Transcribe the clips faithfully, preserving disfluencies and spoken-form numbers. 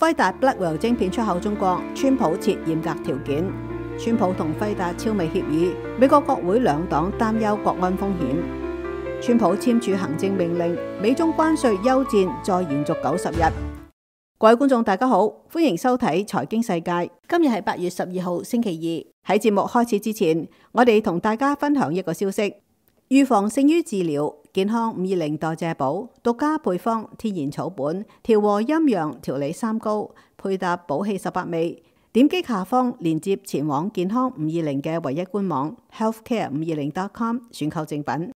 輝達 Blackwell 晶片出口中國，川普設嚴格條件。川普同輝達超微協議，美國國會兩黨擔憂國安風險。川普簽署行政命令，美中關稅休戰再延續九十日。各位觀眾大家好，歡迎收睇財經世界。今日係八月十二號星期二。喺節目開始之前，我哋同大家分享一個消息：預防勝於治療，健康五二零代謝寶獨家配方天然草本調和陰陽調理三高，配搭寶氣十八味。點擊下方連接前往健康五二零嘅唯一官網 healthcare 五二零 dot com 選購正品。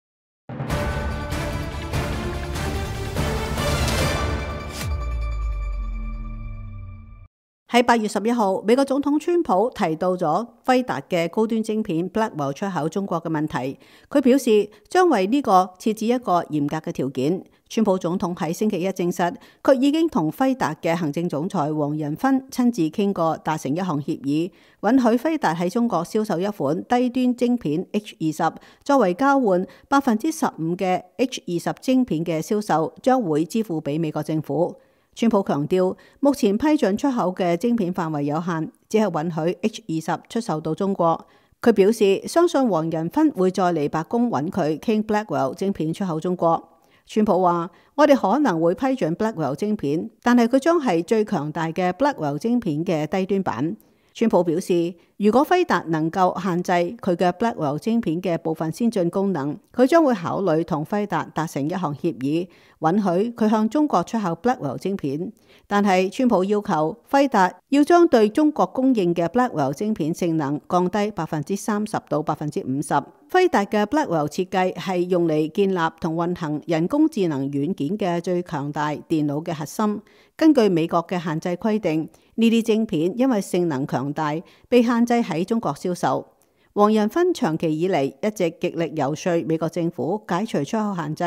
喺八月十一號，美國總統川普提到咗輝達嘅高端晶片 Blackwell 出口中國嘅問題。佢表示將為呢個設置一個嚴格嘅條件。川普總統喺星期一證實，佢已經同輝達嘅行政總裁黃仁勳親自傾過，達成一項協議，允許輝達喺中國銷售一款低端晶片 H 二十，作為交換百分之十五嘅 H 二十晶片嘅銷售將會支付俾美國政府。川普強調，目前批准出口嘅晶片範圍有限，只係允許 H 二十出售到中國。佢表示相信黃仁勳會再嚟白宮揾佢傾 Blackwell 晶片出口中國。川普話：我哋可能會批准 Blackwell 晶片，但係佢將係最強大嘅 Blackwell 晶片嘅低端版。川普表示，如果輝達能夠限制佢嘅 Blackwell 晶片嘅部分先進功能，佢將會考慮同輝達達成一項協議，允許佢向中國出口 Blackwell 晶片。但係川普要求輝達要將對中國供應嘅 Blackwell 晶片性能降低百分之三十到百分之五十。輝達嘅 Blackwell 設計係用嚟建立同運行人工智能軟件嘅最強大電腦嘅核心。根據美國嘅限制規定，呢啲晶片因為性能強大，被限制喺中國銷售。黃仁勳長期以嚟一直極力遊說美國政府解除出口限制。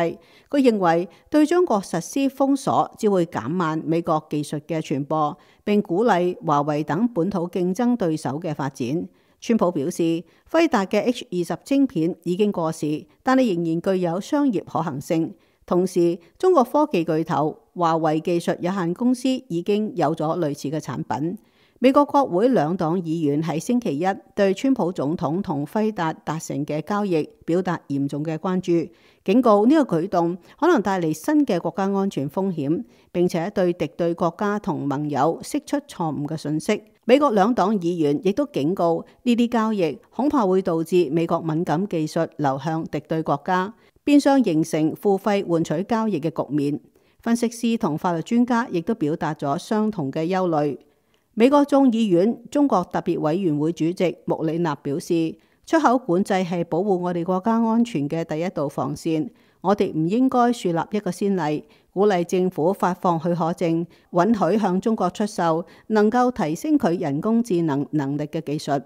佢認為對中國實施封鎖只會減慢美國技術嘅傳播，並鼓勵華為等本土競爭對手嘅發展。川普表示，輝達嘅 H 二十晶片已經過時，但係仍然具有商業可行性。同時，中國科技巨頭華為技術有限公司已經有咗類似嘅產品。美國國會兩黨議員喺星期一對川普總統同輝達達成嘅交易表達嚴重嘅關注，警告呢個舉動可能帶嚟新嘅國家安全風險，並且對敵對國家同盟友釋出錯誤嘅訊息。美國兩黨議員亦都警告呢啲交易恐怕會導致美國敏感技術流向敵對國家，變相形成付費換取交易嘅局面。分析師同法律專家亦都表達咗相同嘅憂慮。美國眾議院中國特別委員會主席穆里納表示，出口管制係保護我哋國家安全嘅第一道防線。我哋唔應該樹立一個先例，鼓勵政府發放許可證，允許向中國出售能夠提升佢人工智能能力嘅技術。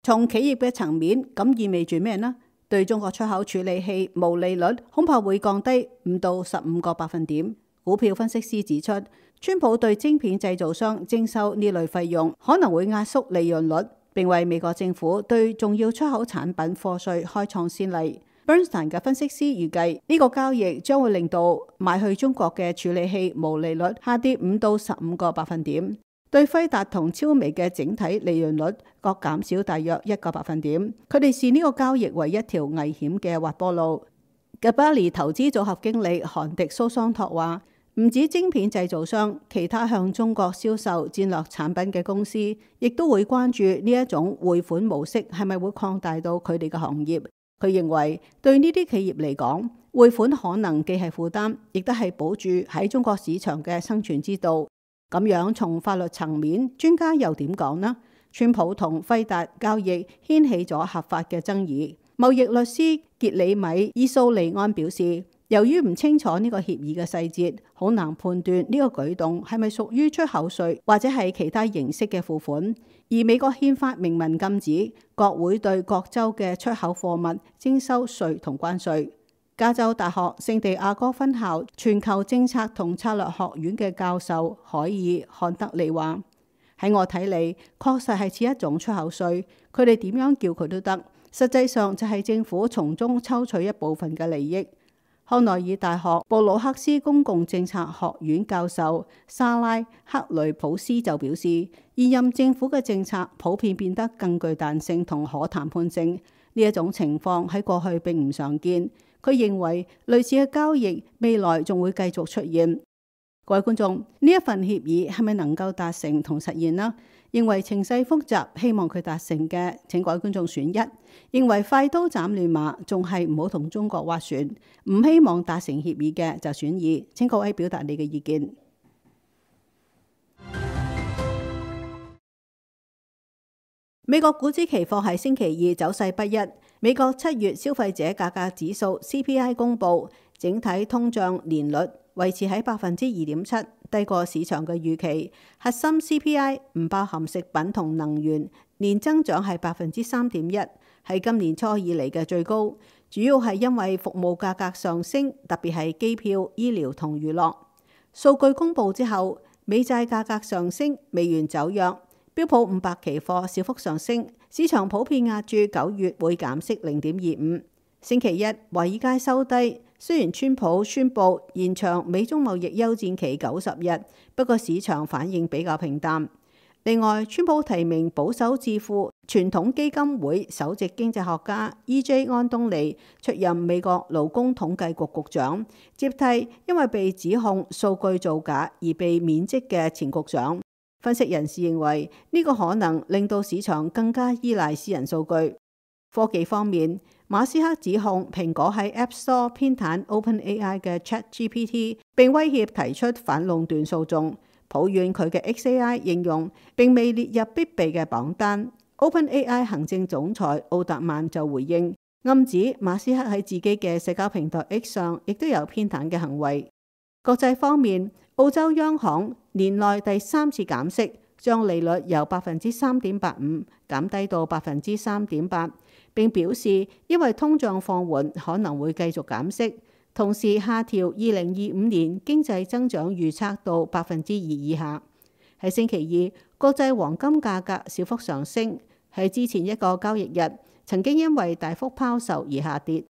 從企業嘅層面，咁意味住咩呢？對中國出口處理器毛利率恐怕會降低五到十五個百分點。股票分析師指出，川普對晶片製造商徵收呢類費用，可能會壓縮利潤率，並為美國政府對重要出口產品課稅開創先例。Bernstein 嘅分析師預計，呢個交易將會令到賣去中國嘅處理器毛利率下跌五到十五個百分點。對輝達同超微嘅整體利潤率各減少大約一個百分點，佢哋視呢個交易為一條危險嘅滑坡路。Gabelli 投資組合經理韓迪蘇桑托話：唔止晶片製造商，其他向中國銷售戰略產品嘅公司，亦都會關注呢一種匯款模式係咪會擴大到佢哋嘅行業。佢認為對呢啲企業嚟講，匯款可能既係負擔，亦都係保住喺中國市場嘅生存之道。咁樣從法律層面，專家又點講呢？川普同輝達交易掀起咗合法嘅爭議。貿易律師傑里米伊蘇利安表示，由於唔清楚呢個協議嘅細節，好難判斷呢個舉動係咪屬於出口稅或者係其他形式嘅付款。而美國憲法明文禁止國會對各州嘅出口貨物徵收稅同關稅。加州大學聖地亞哥分校全球政策同策略學院嘅教授海爾漢德利話：喺我睇嚟，確實係似一種出口稅，佢哋點樣叫佢都得。實際上就係政府從中抽取一部分嘅利益。康奈爾大學布魯克斯公共政策學院教授莎拉克雷普斯就表示，現任政府嘅政策普遍變得更具彈性同可談判性，呢一種情況喺過去並唔常見。佢認為類似嘅交易未來仲會繼續出現。各位觀眾，呢一份協議係咪能夠達成同實現呢？認為情勢複雜，希望佢達成嘅，請各位觀眾選一；認為快刀斬亂麻，仲係唔好同中國斡旋，唔希望達成協議嘅就選二。請各位表達你嘅意見。美國股指期貨喺星期二走勢不一。美國七月消費者價格指數 C P I 公佈，整體通脹年率維持喺百分之二點七，低過市場嘅預期。核心 C P I 唔包含食品同能源，年增長係百分之三點一，係今年初以嚟嘅最高。主要係因為服務價格上升，特別係機票、醫療同娛樂。數據公佈之後，美債價格上升，美元走弱。標普五百期貨小幅上升，市場普遍押注九月會減息零點二五。星期一，華爾街收低，雖然川普宣布延長美中貿易休戰期九十日，不過市場反應比較平淡。另外，川普提名保守智庫傳統基金會首席經濟學家 E J 安東尼出任美國勞工統計局局長，接替因為被指控數據造假而被免職嘅前局長。分析人士認為呢個可能令到市場更加依賴私人數據。科技方面，馬斯克指控蘋果喺 App Store 偏袒 OpenAI 嘅 ChatGPT， 並威脅提出反壟斷訴訟，抱怨佢嘅 X A I 應用並未列入必備嘅榜單。OpenAI 行政總裁奧特曼就回應，暗指馬斯克喺自己嘅社交平台 X 上亦都有偏袒嘅行為。國際方面，澳洲央行年內第三次減息，將利率由百分之三點八五減低到百分之三點八，並表示因為通脹放緩可能會繼續減息，同時下調二零二五年經濟增長預測到百分之二以下。喺星期二，國際黃金價格小幅上升，喺之前一個交易日曾經因為大幅拋售而下跌。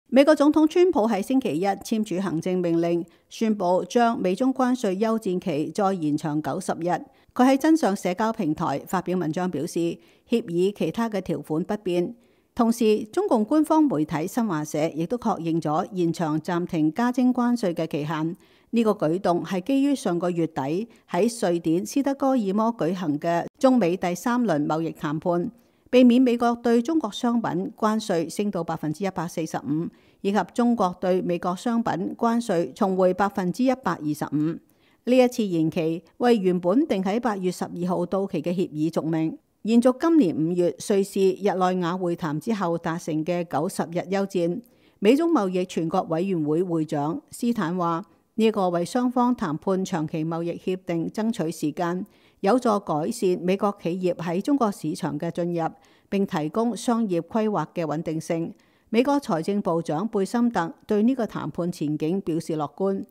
美國總統川普喺星期一簽署行政命令，宣布將美中關稅休戰期再延長九十日。佢喺真相社交平台發表文章表示，協議其他嘅條款不變。同時，中共官方媒體新華社亦都確認咗延長暫停加徵關稅嘅期限。呢個舉動係基於上個月底喺瑞典斯德哥爾摩舉行嘅中美第三輪貿易談判，避免美國對中國商品關稅升到百分之一百四十五，以及中國對美國商品關稅重回百分之一百二十五。呢一次延期為原本定喺八月十二號到期嘅協議續命，延續今年五月瑞士日內瓦會談之後達成嘅九十日休戰。美中貿易全國委員會會長斯坦話：呢個為雙方談判長期貿易協定爭取時間，有助改善美國企業喺中國市場嘅進入，並提供商業規劃嘅穩定性。美國財政部長貝森特對呢個談判前景表示樂觀。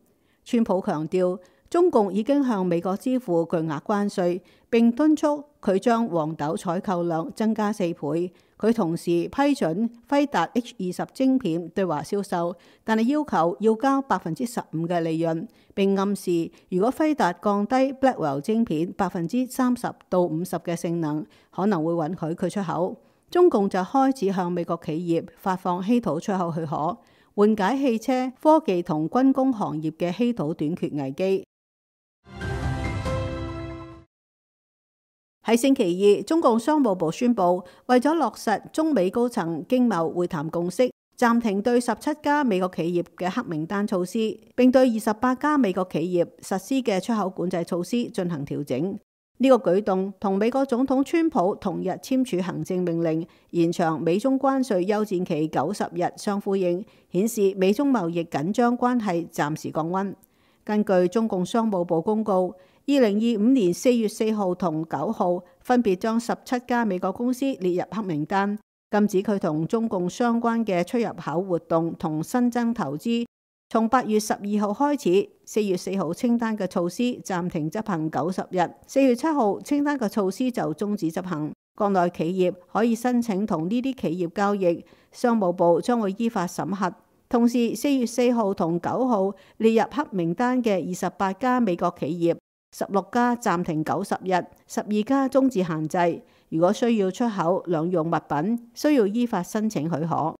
川普強調，中共已經向美國支付巨額關稅，並敦促佢將黃豆採購量增加四倍。佢同時批准輝達 H 二十晶片對華銷售，但係要求要交百分之十五嘅利潤，並暗示如果輝達降低 Blackwell 晶片百分之三十到五十嘅性能，可能會允許佢出口。中共就開始向美國企業發放稀土出口許可，緩解汽車、科技同軍工行業嘅稀土短缺危機。喺星期二，中共商務部宣布，為咗落實中美高層經貿會談共識，暫停對十七家美國企業嘅黑名單措施，並對二十八家美國企業實施嘅出口管制措施進行調整。呢個舉動同美國總統川普同日簽署行政命令，延長美中關稅休戰期九十日相呼應，顯示美中貿易緊張關係暫時降溫。根據中共商務部公告，二零二五年四月四號同九號分別將十七家美國公司列入黑名單，禁止佢同中共相關嘅出入口活動同新增投資。從八月十二號開始，四月四號清單嘅措施暫停執行九十日，四月七號清單嘅措施就終止執行。國內企業可以申請同呢啲企業交易，商務部將會依法審核。同時，四月四號同九號列入黑名單嘅二十八家美國企業，十六家暫停九十日，十二家終止限制。如果需要出口兩用物品，需要依法申請許可。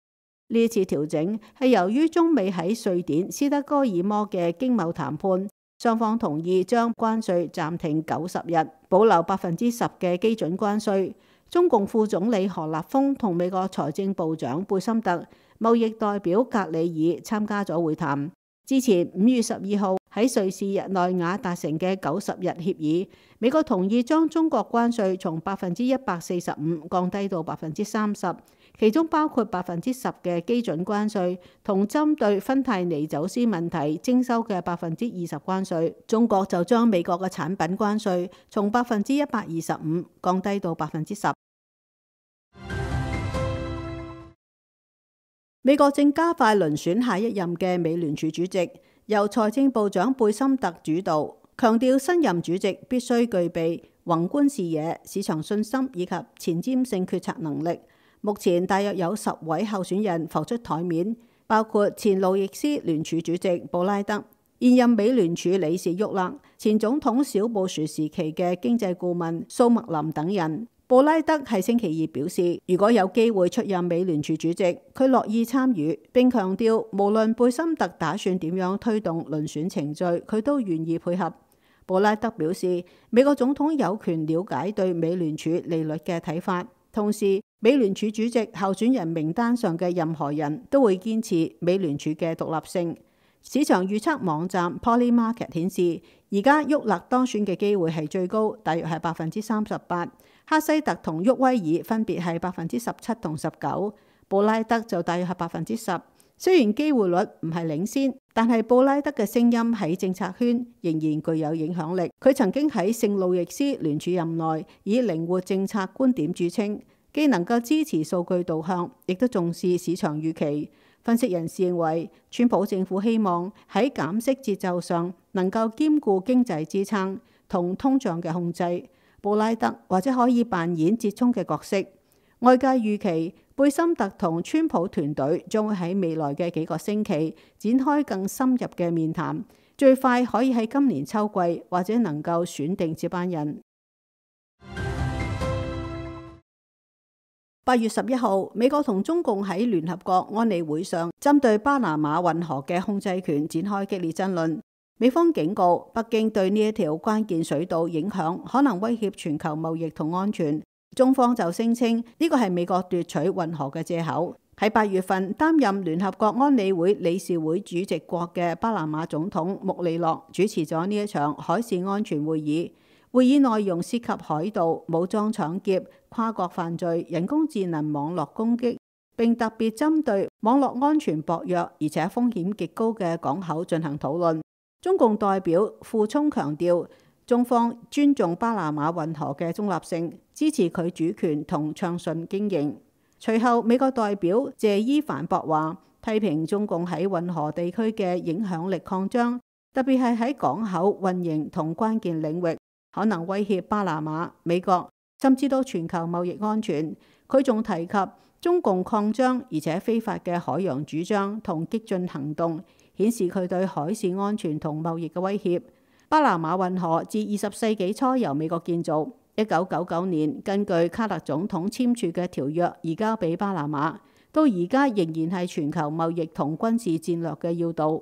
呢一次調整係由於中美喺瑞典斯德哥爾摩嘅經貿談判，雙方同意將關稅暫停九十日，保留百分之十嘅基準關稅。中共副總理何立峰同美國財政部長貝森特、貿易代表格里爾參加咗會談。之前五月十二號喺瑞士日內瓦達成嘅九十日協議，美國同意將中國關稅從百分之一百四十五降低到百分之三十，其中包括百分之十嘅基準關稅，同針對芬太尼走私問題徵收嘅百分之二十關稅。中國就將美國嘅產品關稅從百分之一百二十五降低到百分之十。美國正加快遴選下一任嘅美聯儲主席，由財政部長貝森特主導，強調新任主席必須具備宏觀視野、市場信心以及前瞻性決策能力。目前大約有十位候選人浮出台面，包括前路易斯聯儲主席布拉德、現任美聯儲理事沃勒、前總統小布殊時期嘅經濟顧問蘇麥林等人。布拉德喺星期二表示，如果有機會出任美聯儲主席，佢樂意參與，並強調無論貝森特打算點樣推動遴選程序，佢都願意配合。布拉德表示，美國總統有權了解對美聯儲利率嘅睇法，同時美聯儲主席候選人名單上嘅任何人都會堅持美聯儲嘅獨立性。市場預測網站 Polymarket 顯示，而家沃勒當選嘅機會係最高，大約係百分之三十八。克西特同沃威爾分別係百分之十七同十九，布拉德就大約係百分之十。雖然機會率唔係領先，但係布拉德嘅聲音喺政策圈仍然具有影響力。佢曾經喺聖路易斯聯儲任內以靈活政策觀點著稱，既能夠支持數據導向，亦都重視市場預期。分析人士認為，川普政府希望喺減息節奏上能夠兼顧經濟支撐同通脹嘅控制。布拉德或者可以扮演折衷嘅角色。外界預期貝森特同川普團隊將會喺未來嘅幾個星期展開更深入嘅面談，最快可以喺今年秋季或者能夠選定接班人。八月十一號，美國同中共喺聯合國安理會上針對巴拿馬運河嘅控制權展開激烈爭論。美方警告北京對呢一條關鍵水道影響可能威脅全球貿易同安全，中方就聲稱呢個係美國奪取運河嘅借口。喺八月份擔任聯合國安理會理事會主席國嘅巴拿馬總統穆里諾主持咗呢一場海事安全會議，會議內容涉及海盜、武裝搶劫、跨國犯罪、人工智能網絡攻擊，並特別針對網絡安全薄弱而且風險極高嘅港口進行討論。中共代表傅聰強調，中方尊重巴拿馬運河嘅中立性，支持佢主權同暢順經營。隨後，美國代表謝伊反駁話，批評中共喺運河地區嘅影響力擴張，特別係喺港口運營同關鍵領域，可能威脅巴拿馬、美國，甚至到全球貿易安全。佢仲提及中共擴張而且非法嘅海洋主張同激進行動，顯示佢對海事安全同貿易嘅威脅。巴拿馬運河自二十世紀初由美國建造，一九九九年根據卡特總統簽署嘅條約移交俾巴拿馬，到而家仍然係全球貿易同軍事戰略嘅要道。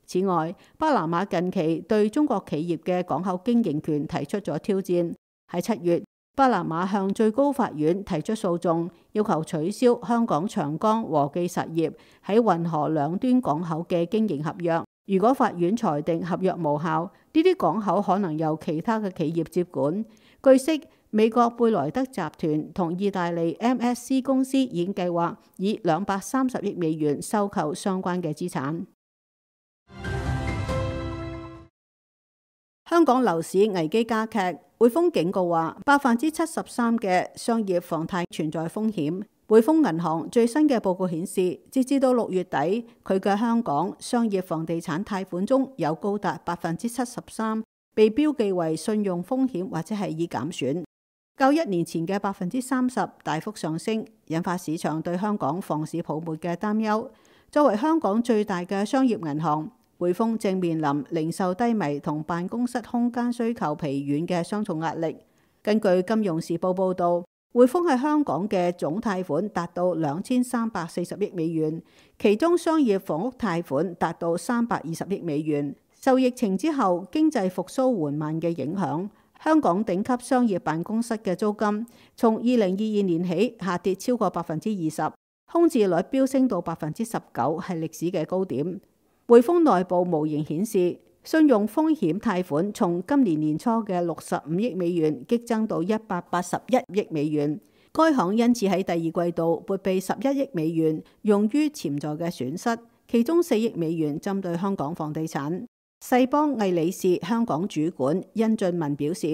此外，巴拿馬近期對中國企業嘅港口經營權提出咗挑戰。喺七月，巴拿馬向最高法院提出訴訟，要求取消香港長江和記實業喺運河兩端港口嘅經營合約。如果法院裁定合約無效，呢啲港口可能由其他嘅企業接管。據悉，美國貝萊德集團同意大利 M S C 公司已經計劃以兩百三十億美元收購相關嘅資產。香港樓市危機加劇，匯豐警告話百分之七十三嘅商業房貸存在風險。匯豐銀行最新嘅報告顯示，截至到六月底，佢嘅香港商業房地產貸款中有高達百分之七十三被標記為信用風險或者係已減損。較一年前嘅百分之三十大幅上升，引發市場對香港房市泡沫嘅擔憂。作為香港最大嘅商業銀行，匯豐正面臨零售低迷同辦公室空間需求疲軟嘅雙重壓力。根據《金融時報》報導，匯豐喺香港嘅總貸款達到兩千三百四十億美元，其中商業房屋貸款達到三百二十億美元。受疫情之後經濟復甦緩慢嘅影響，香港頂級商業辦公室嘅租金從二零二二年起下跌超過百分之二十，空置率飆升到百分之十九，係歷史嘅高點。匯豐內部模型顯示，信用風險貸款從今年年初嘅六十五億美元激增到一百八十一億美元。該行因此喺第二季度撥備十一億美元用於潛在嘅損失，其中四億美元針對香港房地產。世邦魏理仕香港主管殷俊文表示，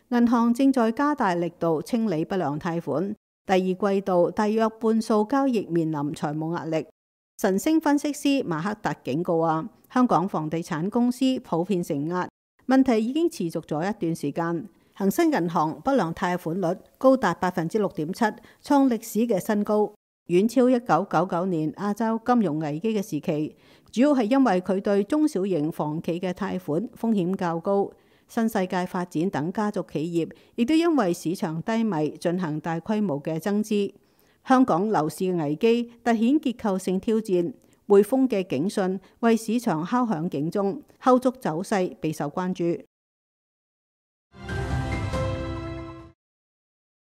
銀行正在加大力度清理不良貸款，第二季度大約半數交易面臨財務壓力。晨星分析師馬克達警告話，香港房地產公司普遍承壓，問題已經持續咗一段時間。恒生銀行不良貸款率高達百分之六點七，創歷史嘅新高，遠超一九九九年亞洲金融危機嘅時期。主要係因為佢對中小型房企嘅貸款風險較高，新世界發展等家族企業亦都因為市場低迷進行大規模嘅增資。香港樓市嘅危機凸顯結構性挑戰，匯豐嘅警訊為市場敲響警鐘，後續走勢備受關注。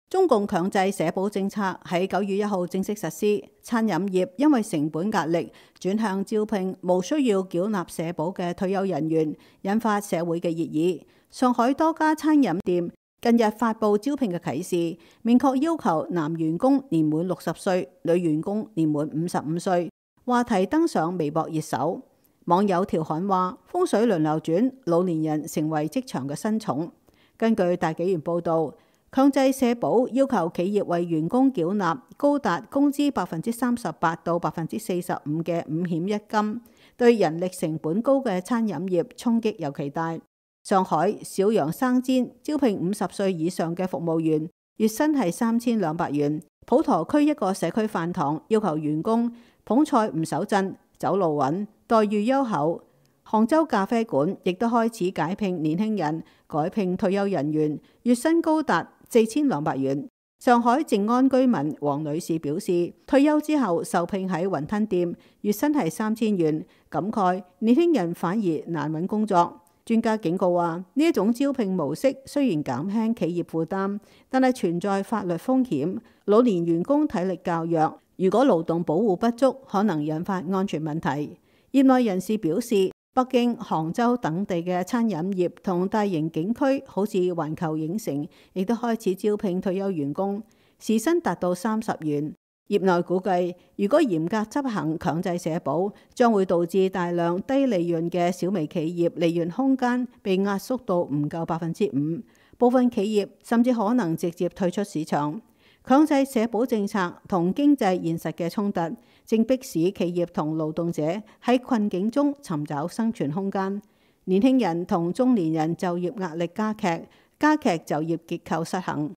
中共強制社保政策喺九月一號正式實施，餐飲業因為成本壓力轉向招聘無需要繳納社保嘅退休人員，引發社會嘅熱議。上海多家餐飲店近日發布招聘嘅啟示，明確要求男員工年滿六十歲，女員工年滿五十五歲。話題登上微博熱搜，網友調侃話：風水輪流轉，老年人成為職場嘅新寵。根據大紀元報導，強制社保要求企業為員工繳納高達工資百分之三十八到百分之四十五嘅五險一金，對人力成本高嘅餐飲業衝擊尤其大。上海小楊生煎招聘五十歲以上嘅服務員，月薪係三千兩百元。普陀區一個社區飯堂要求員工捧菜唔手震，走路穩，待遇優厚。杭州咖啡館亦都開始解聘年輕人，改聘退休人員，月薪高達四千兩百元。上海靜安居民黃女士表示，退休之後受聘喺雲吞店，月薪係三千元，感慨年輕人反而難揾工作。專家警告話，呢一種招聘模式雖然減輕企業負擔，但係存在法律風險。老年員工體力較弱，如果勞動保護不足，可能引發安全問題。業內人士表示，北京、杭州等地嘅餐飲業同大型景區，好似環球影城，亦都開始招聘退休員工，時薪達到三十元。業內估計，如果嚴格執行強制社保，將會導致大量低利潤嘅小微企業利潤空間被壓縮到唔夠百分之五，部分企業甚至可能直接退出市場。強制社保政策同經濟現實嘅衝突，正迫使企業同勞動者喺困境中尋找生存空間。年輕人同中年人就業壓力加劇，加劇就業結構失衡。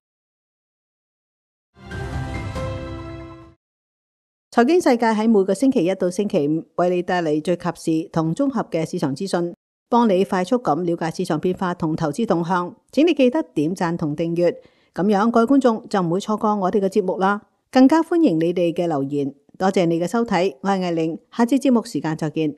財經世界喺每個星期一到星期五為你帶嚟最及時同綜合嘅市場資訊，幫你快速咁了解市場變化同投資動向。請你記得點讚同訂閱。咁樣各位觀眾就唔會錯過我哋嘅節目啦，更加歡迎你哋嘅留言。多謝你嘅收睇，我係艾玲，下次節目時間再見。